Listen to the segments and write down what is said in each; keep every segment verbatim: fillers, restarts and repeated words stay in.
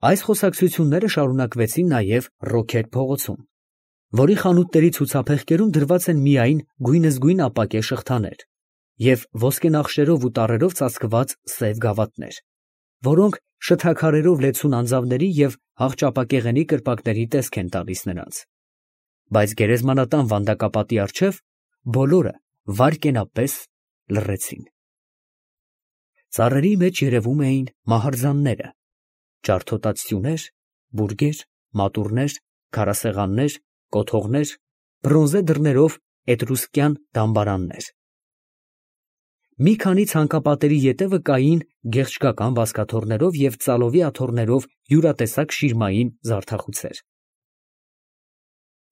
Այս խոսակցությունները շարունակվեցին նաև Ռոքեր փողոցում, որի խանութների ցուցափեղկերում դրված են միայն գույնզգույն ապակե շղթաներ և ոսկենախշերով ու տառերով ծածկված սև գավաթներ, որոնք շթաքարերով լեցուն անձավների և հաղճապակեղենի կրպակների տեսք են տալիս նրանց, բայց գերեզմանատան վանդակապատի առջև բոլորը վայրկենապես լռեցին։ Ծառերի մեջ երևում էին մահարձանները, ջարդոտած սյուներ, բուրգեր, մատուռներ, քարասեղաններ, կոթողներ, բրոնզե դռներով էտրուսկյան դամբարաններ։ Մի քանի ցանկապատերի ետևը կային գեղչկական բազկաթոռներով և ծալովի աթոռներով յուրատեսակ շիրմային զարդախուցեր։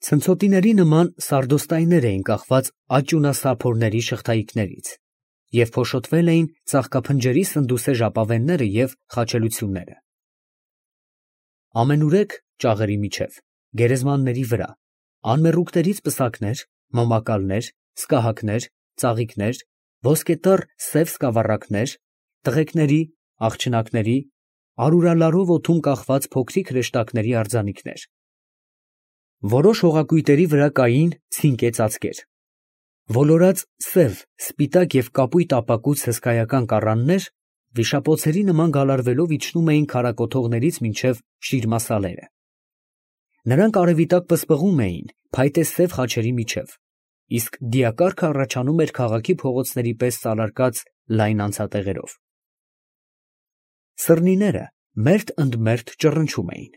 Ցնցոտիների նման սարդոստայներ էին կախված աճյունասափորների շղթայիկներից և փոշոտվել էին ծաղկափնջերի սնդուսե ժապավենները և խաչելությունները։ Ամենուրեք ճաղերի միջև, գերեզմանների վրա, անմեռուկներից պսակներ, մոմակալներ, սկահակներ, ծաղիկներ, ոսկետառ սև սկավառակներ, տղեկների, աղջնակների, արուրալարով օդում կախված փոքրիկ հրեշտակների արձանիկներ։ Որոշ հողակույտերի վրա կային ցինկե ծածկեր, ոլորած սև, սպիտակ և կապույտ ապակուց հսկայական կառաններ վիշապոցերի նման գալարվելով իջնում էին քարակոթողներից մինչև շիրմասալերը։ Նրանք արևի տակ պսպղում էին փայտե սև խաչերի միջև, իսկ դիակառքը առաջանում էր քաղաքի փողոցների պես սալարկած լայն անցատեղերով։ Սըրնիները մերթ ընդ մերթ ճռնչում էին։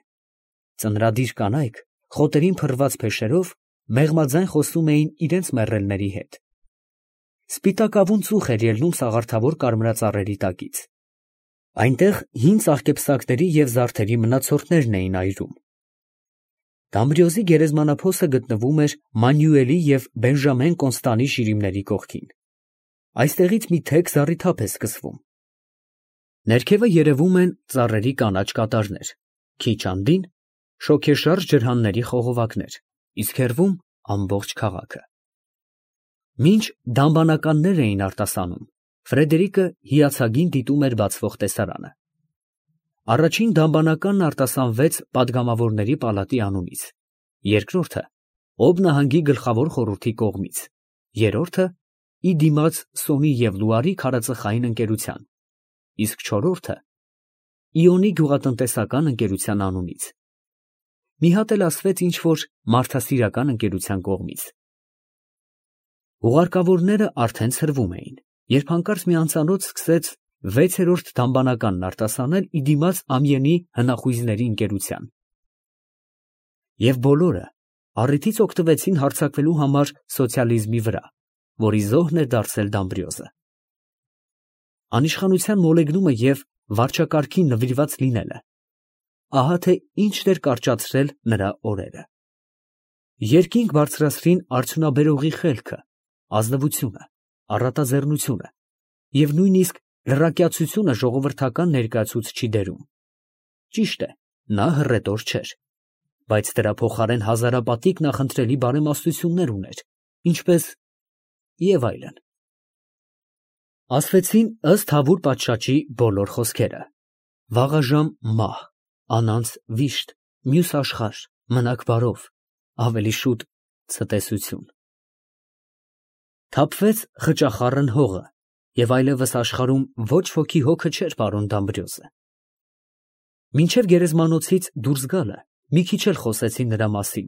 Ծնրադիր կանայք խոտերին փռված փեշերով մեղմաձայն խոսում էին իրենց մեռելների հետ։ Սպիտակավուն ծուխ էր ելնում սաղարթավոր կարմրածառերի տակից։ Այնտեղ հին ծաղկեպսակների և զարդերի մնացորդներն էին այրում։ Դամբրիոզի գերեզմանափոսը գտնվում էր Մանյուելի և Բենժամեն Կոնստանի շիրիմների կողքին։ Այստեղից մի թեք զառիթափ է սկսվում։ Ներքևը երևում են ծառերի կանաչ կատարներ, քիչ անդին շոգեշարժ ջրհանների խողովակներ, իսկ հեռվում ամբողջ քաղաքը։ Մինչ դամբանականներ էին արտասանում, Ֆրեդերիկը հիացագին դիտում էր բացվող տեսարանը։ Առաջին դամբանականն արտասանվեց պատգամավորների պալատի անունից, երկրորդը Օբ նահանգի գլխավոր խորհրդի կողմից, երրորդը ի դիմաց Սոնի և Լուարի քարածխային ընկերության, իսկ չորրորդը Իոնի գյուղատնտեսական ընկերության անունից։ Մի հատ էլ ասվեց ինչ֊որ մարդասիրական ընկերության կողմից։ Ուղարկավորները արդեն ցրվում էին, երբ հանկարծ մի անծանոթ սկսեց վեցերորդ դամբանականն արտասանել ի դիմաց Ամիենի հնախույզների ընկերության։ Եվ բոլորը առիթից օգտվեցին հարձակվելու համար սոցիալիզմի վրա, որի զոհն էր դարձել Դամբրիոզը։ Անիշխանության մոլեգնումը և վարչակարգին նվիրված լինելը, ահա թե ինչն էր կարճացրել նրա օրերը։ Երկինք բարձրացրին արդյունաբերողի խելքը, ազնվությունը, առատաձեռնությունը և նույնիսկ լրակյացությունը ժողովրդական ներկայացուցչի դերում։ Ճիշտ է, նա հռետոր չէր, բայց դրա փոխարեն հազարապատիկ նախընտրելի բարեմաստություններ ուներ, ինչպես և այլն։ Ասվեցին ըստ Հավուր պատշաճի բոլոր խոսքերը. վաղաժամ մահ, անանց վիշտ, մյուս աշխարհ, մնաք բարով, ավելի շուտ ցտեսություն։ Թափվեց խճախառն հողը, և այլևս աշխարհում ոչ ոքի հոգը չէր պարում Դամբրիոզը։ Մինչև գերեզմանոցից դուրս գալը մի քիչ էլ խոսեցին նրա մասին։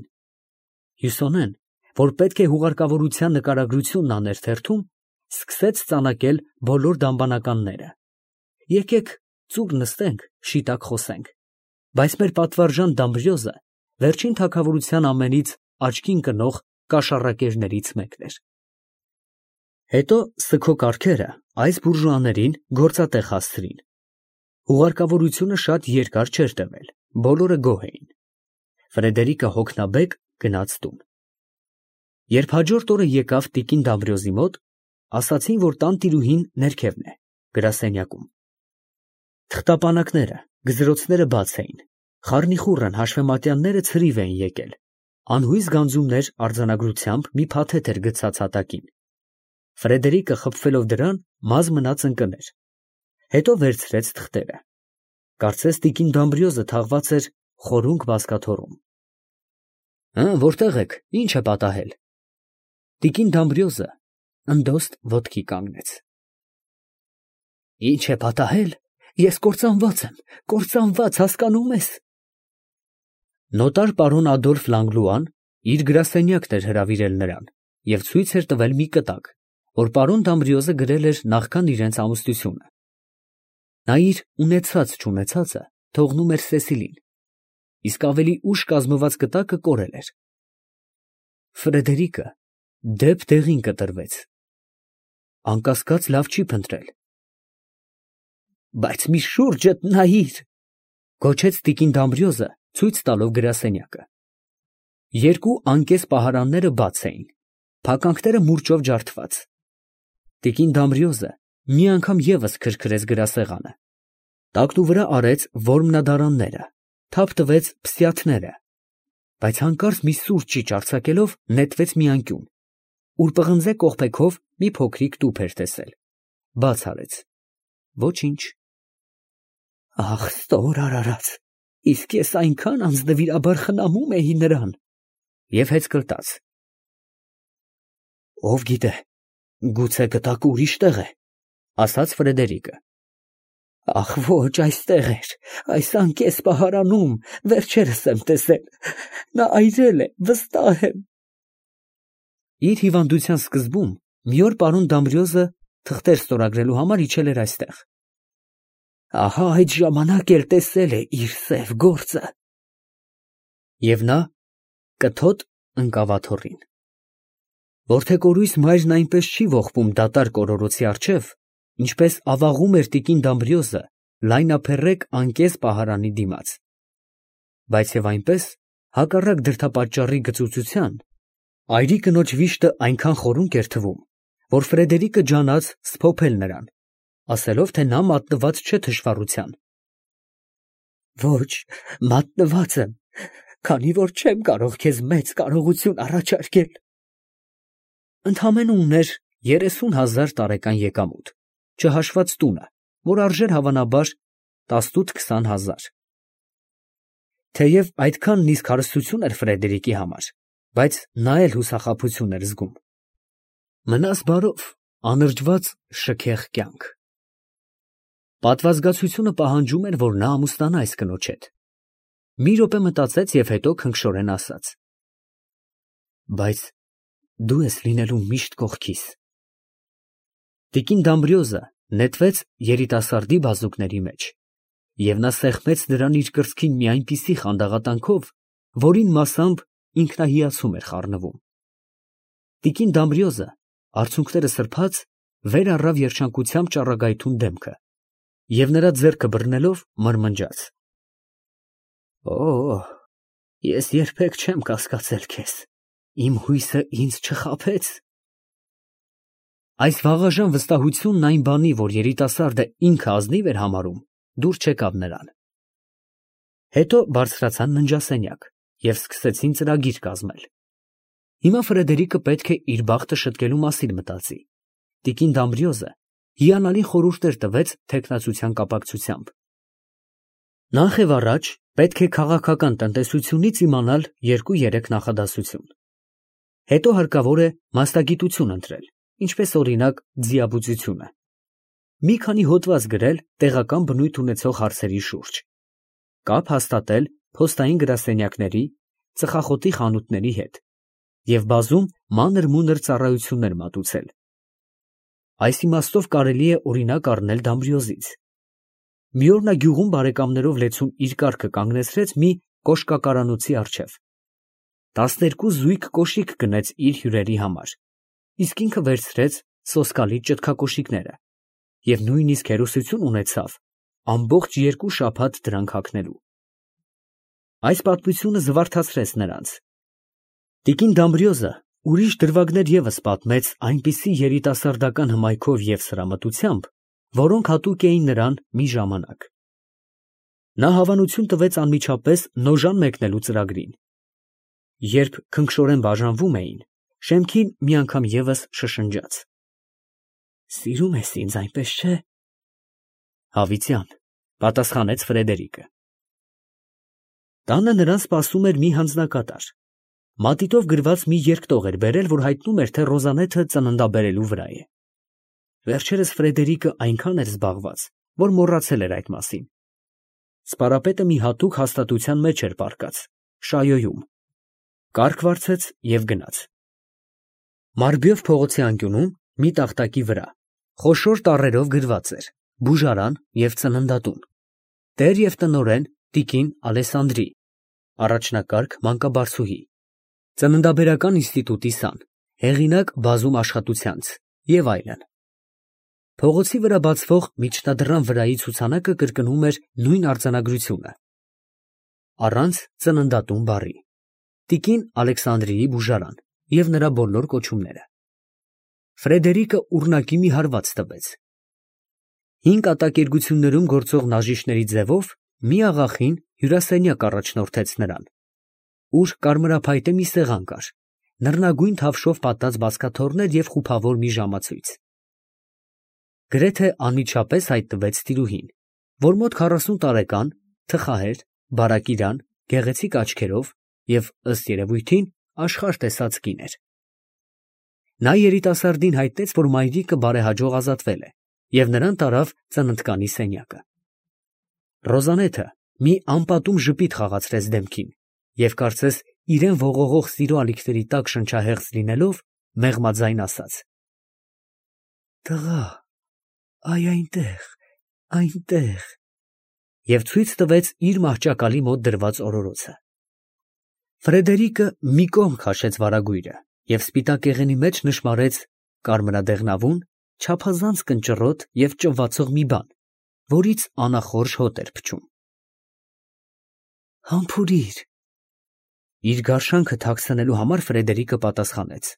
Հյուսոնեն, որ պետք է հուղարկավորության նկարագրությունն աներ թերթում, սկսեց ծանակել բոլոր դամբանականները։ Եկեք ծուռ նստենք, շիտակ խոսենք, բայց մեր պատվարժան Դամբրիոզը վերջին թագավորության ամենից աչքին կնող կաշառակերներից մեկն էր։ Հետո սգո կառքերը այս բուրժուաներին գործատեղ հասցրին։ Հուղարկավորությունը շատ երկար չէր տևել, բոլորը գոհ էին։ Ֆրեդերիկը հոգնաբեկ գնաց տուն։ Երբ հաջորդ օրը եկավ տիկին Դամբրիոզի մոտ, ասացին, որ տանտիրուհին ներքևն է, գրասենյակում։ Թղթապանակները, գզրոցները բաց էին, խառնիխուռն հաշվեմատյանները ցրիվ էին եկել, անհույս գանձումներ արձանագրությամբ մի փաթեթ էր գցած հատակին։ Ֆրեդերիկը խփվելով դրան մազ մնաց ընկներ, հետո վերցրեց թղթերը։ Կարծես տիկին Դամբրիոզը թաղված էր խորունկ բազկաթոռում։ Հը, որտե՞ղ եք, ի՞նչ է պատահել։ Տիկին Դամբրիոզը ընդոստ ոտքի կանգնեց։ Ի՞նչ է պատահել, ես կործանված եմ, կործանված, հասկանում ես։ Նոտար պարոն Ադոլֆ Լանգլուան իր գրասենյակն էր հրավիրել նրան և ցույց էր տվել մի կտակ, որ պարոն Դամբրիոզը գրել էր նախքան իրենց ամուսնությունը։ Նա իր ունեցած֊չունեցածը թողնում էր Սեսիլին, իսկ ավելի ուշ կազմված կտակը կորել էր։ Ֆրեդերիկը դեպ դեղին կտրվեց։ Անկասկած լավ չի փնտրել։ Բայց մի շուրջդ նայիր, գոչեց տիկին Դամբրիոզը, ցույց տալով գրասենյակը։ Երկու անկես պահարանները բաց էին, փականքները մուրճով ջարդված։ Տիկին Դամբրիոզը մի անգամ ևս քրքրեց գրասեղանը, տակնուվրա արեց որմնադարանները, թափ տվեց փսյաթները, բայց հանկարծ մի սուր ճիչ արձակելով նետվեց մի անկյուն, ուր պղնձե կողպեքով մի փոքրիկ տուփ էր տեսել, բաց արեց։ Ոչինչ։ Ախ, ստոր արարած, իսկ ես այնքան անձնվիրաբար խնամում էի նրան։ Եվ հեծկլտաց։ Ով գիտե, գուցե կտակը ուրիշ տեղ է, ասաց Ֆրեդերիկը։ Ախ, ոչ, այստեղ էր, այս անկես պահարանում, վերջերս եմ տեսել, նա այրել է, վստահ եմ։ Իր հիվանդության սկզբում մի օր պարոն Դամբրիոզը թղթեր ստորագրելու համար իջել էր այստեղ։ Ահա այդ ժամանակ էլ տեսել է իր սև գործը։ Եվ նա կթոտ ընկավ աթոռին։ Որդեկորույս մայրն այնպես չի ողբում դատարկ օրորոցի առջև, ինչպես ավաղում էր տիկին Դամբրիոզը լայնափեռեկ անկես պահարանի դիմաց։ Բայց և այնպես, հակառակ դրդապատճառի գծուծության, այրի կնոջ վիշտը այնքան խորունկ էր թվում, որ Ֆրեդերիկը ջանաց սփոփել նրան, ասելով, թե նա մատնված չէ թշվառության։ Ոչ, մատնված եմ, քանի որ չեմ կարող քեզ մեծ կարողություն առաջարկել։ Ընդամենը ուներ երեսուն հազար տարեկան եկամուտ, չհաշված տունը, որ արժեր հավանաբար տասնութ֊քսան հազար։ Թեև այդքանն իսկ հարստություն էր Ֆրեդերիկի համար, բայց նա էլ հուսախաբություն էր զգում։ Մնաս բարով, անրջված շքեղ կյանք։ Պատվազգացությունը պահանջում էր, որ նա ամուսնանա այս կնոջ հետ։ Մի րոպե մտածեց և հետո քնքշորեն ասաց. Բայց դու ես լինելու միշտ կողքիս։ Տիկին Դամբրիոզը նետվեց երիտասարդի բազուկների մեջ, և նա սեղմեց նրան իր կրծքին մի այնպիսի խանդաղատանքով, որին մասամբ ինքնահիացում էր խառնվում։ Տիկին Դամբրիոզը, արցունքները սրբած, վեր առավ երջանկությամբ ճառագայթուն դեմքը և նրա ձեռքը բռնելով մրմնջաց. Օ, ես երբեք չեմ կասկածել քեզ, իմ հույսը ինձ չխաբեց։ Այս վաղաժամ վստահությունն այն բանի, որ երիտասարդը ինքը ազնիվ էր համարում, դուր չեկավ նրան։ Հետո բարձրացան ննջասենյակ և սկսեցին ծրագիր կազմել։ Հիմա Ֆրեդերիկը պետք է իր բախտը շտկելու մասին մտածի։ Տիկին Դամբրիոզը հիանալի խորհուրդներ տվեց թեկնածության կապակցությամբ։ Նախ և առաջ պետք է քաղաքական տնտեսությունից իմանալ երկու֊երեք նախադասություն։ Հետո հարկավոր է մասնագիտություն ընտրել, ինչպես օրինակ ձիաբուծությունը։ Մի քանի հոդված գրել տեղական բնույթ ունեցող հարցերի շուրջ։ Կապ հաստատել փոստային գրասենյակների, ծխախոտի խանութների հետ և բազում մանր֊մունր ծառայություններ մատուցել։ Այս իմաստով կարելի է օրինակ առնել Դամբրիոզից։ Մի օր նա գյուղում բարեկամներով լեցուն իր կառքը կանգնեցրեց մի կոշկակարանոցի առջև։ Տասներկու զույգ կոշիկ գնեց իր հյուրերի համար, իսկ ինքը վերցրեց սոսկալի ճտկակոշիկները և նույնիսկ հերոսություն ունեցավ ամբողջ երկու շաբաթ դրանք հագնելու։ Այս պատմությունը զվարթացրեց նրանց։ Տիկին Դամբրիոզը ուրիշ դրվագներ ևս պատմեց այնպիսի երիտասարդական հմայքով և սրամտությամբ, որոնք հատուկ էին նրան մի ժամանակ։ Նա հավանություն տվեց անմիջապես նոժան մեկնելու ծրագրին։ Երբ քնքշորեն բաժանվում էին, շեմքին մի անգամ ևս շշնջաց. Սիրում ես ինձ, այնպես չէ։ Հավիտյան, Պատասխանեց Ֆրեդերիկը։ Տանը նրան սպասում էր մի հանձնակատար։ Մատիտով գրված մի երկտող էր բերել, որ հայտնում էր, թե Ռոզանեթը ծննդաբերելու վրա է։ Վերջերս Ֆրեդերիկը այնքան էր զբաղված, որ մոռացել էր այդ մասին։ Սպարապետը մի հատուկ հաստատության մեջ էր պառկած, շայոյում։ Կառք վարձեց և գնաց։ Մարբյով փողոցի անկյունում մի տախտակի վրա խոշոր տառերով գրված էր «Բուժարան և ծննդատուն, տեր և տնօրեն տիկին Ալեսանդրի, առաջնակարգ մանկաբարձուհի, ծննդաբերական ինստիտուտի սան, հեղինակ բազում աշխատությանց» և այլն։ Փողոցի վրա բացվող միջնադռան վրայի ցուցանակը կրկնում էր նույն արձանագրությունը, առանց ծննդատուն բառի, տիկին Ալեքսանդրիի բուժարան և նրա բոլոր կոչումները։ Ֆրեդերիկը ուռնակի մի հարված տվեց։ Հին կատակերգություններում գործող նաժիշտների ձևով մի աղախին հյուրասենյակ առաջնորդեց նրան, ուր կարմրափայտե մի սեղան կար, նռնագույն թավշով պատած բազկաթոռներ և խուփավոր մի ժամացույց։ Գրեթե անմիջապես հայտնվեց տիրուհին, որ մոտ քառասուն տարեկան, թխահեր, բարակ իրան, գեղեցիկ աչքերով և, ըստ երևույթին, աշխարհ տեսած կին էր։ Նա երիտասարդին հայտնեց, որ մայրիկը բարեհաջող ազատվել է, և նրան տարավ ծննդկանի սենյակը։ Ռոզանեթը մի անպատում ժպիտ խաղացրեց դեմքին և, կարծես իրան ողողող սիրո ալիքների տակ շնչահեղձ լինելով, մեղմաձայն ասաց. «Տղա, այ այնտեղ, այնտեղ» և ցույց տվեց իր մահճակալի մոտ դրված օրորոցը։ Ֆրեդերիկը մի կողմ քաշեց վարագույրը և սպիտակ եղենի մեջ նշմարեց կարմրադեղնավուն, չափազանց կնճռոտ և ճվացող մի բան, որից անախորժ հոտ էր փչում։ «Համբուրի՛ր»։ Իր գարշանքը թաքցնելու համար Ֆրեդերիկը պատասխանեց.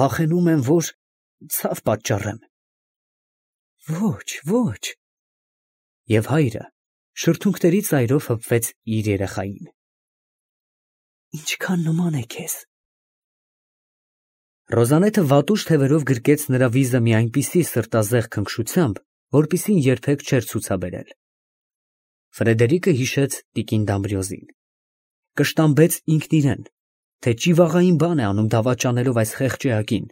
«Վախենում եմ, որ ցավ պատճառեմ»։ «Ոչ, ոչ»։ Եվ հայրը շրթունքների ծայրով հպվեց իր երեխային։ «Ինչքան նման է քեզ»։ Ռոզանեթը վատուշ թևերով գրկեց նրա վիզը մի այնպիսի սրտազեղ քնքշությամբ, որպիսին երբեք չէր ցուցաբերել։ Ֆրեդերիկը հիշեց տիկին Դամբրիոզին, կշտամբեց ինքն իրեն, թե ճիվաղային բան է անում դավաճանելով այս խեղճ էակին,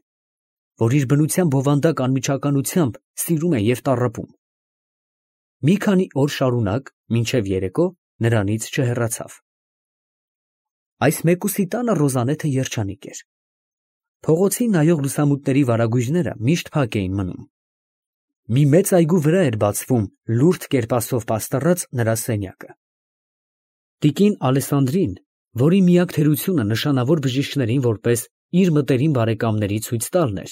որ իր բնության բովանդակ անմիջականությամբ սիրում է և տառապում։ Մի քանի օր շարունակ, մինչև երեկո, նրանից չհեռացավ։ Այս մեկուսի տանը Ռոզանեթը երջանիկ էր։ Փողոցին նայող լուսամուտների վարագույրները միշտ փակ էին մնում։ Մի մեծ այգու վրա էր բացվում լուրջ կերպասով պաստառած նրա սենյակը։ Տիկին Ալեսանդրին, որի միակ թերությունը նշանավոր բժիշկներին որպես իր մտերիմ բարեկամների ցույց տալն էր,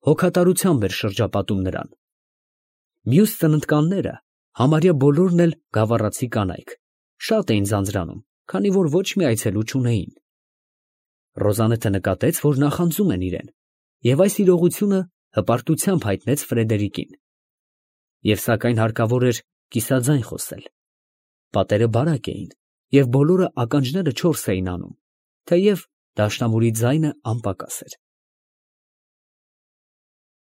հոգատարությամբ էր շրջապատում նրան։ Մյուս ծննդկանները, համարյա բոլորն էլ գավառացի կանայք, շատ էին ձանձրանում, քանի որ ոչ մի այցելու չունեին։ Ռոզանեթը նկատեց, որ նախանձում են իրեն, և այս իրողությունը հպարտությամբ հայտնեց Ֆրեդերիկին։ Եվ սակայն հարկավոր էր կիսաձայն խոսել։ Պատերը բարակ էին, և բոլորը ականջները չորս էին անում, թեև դաշնամուրի ձայնը անպակաս էր։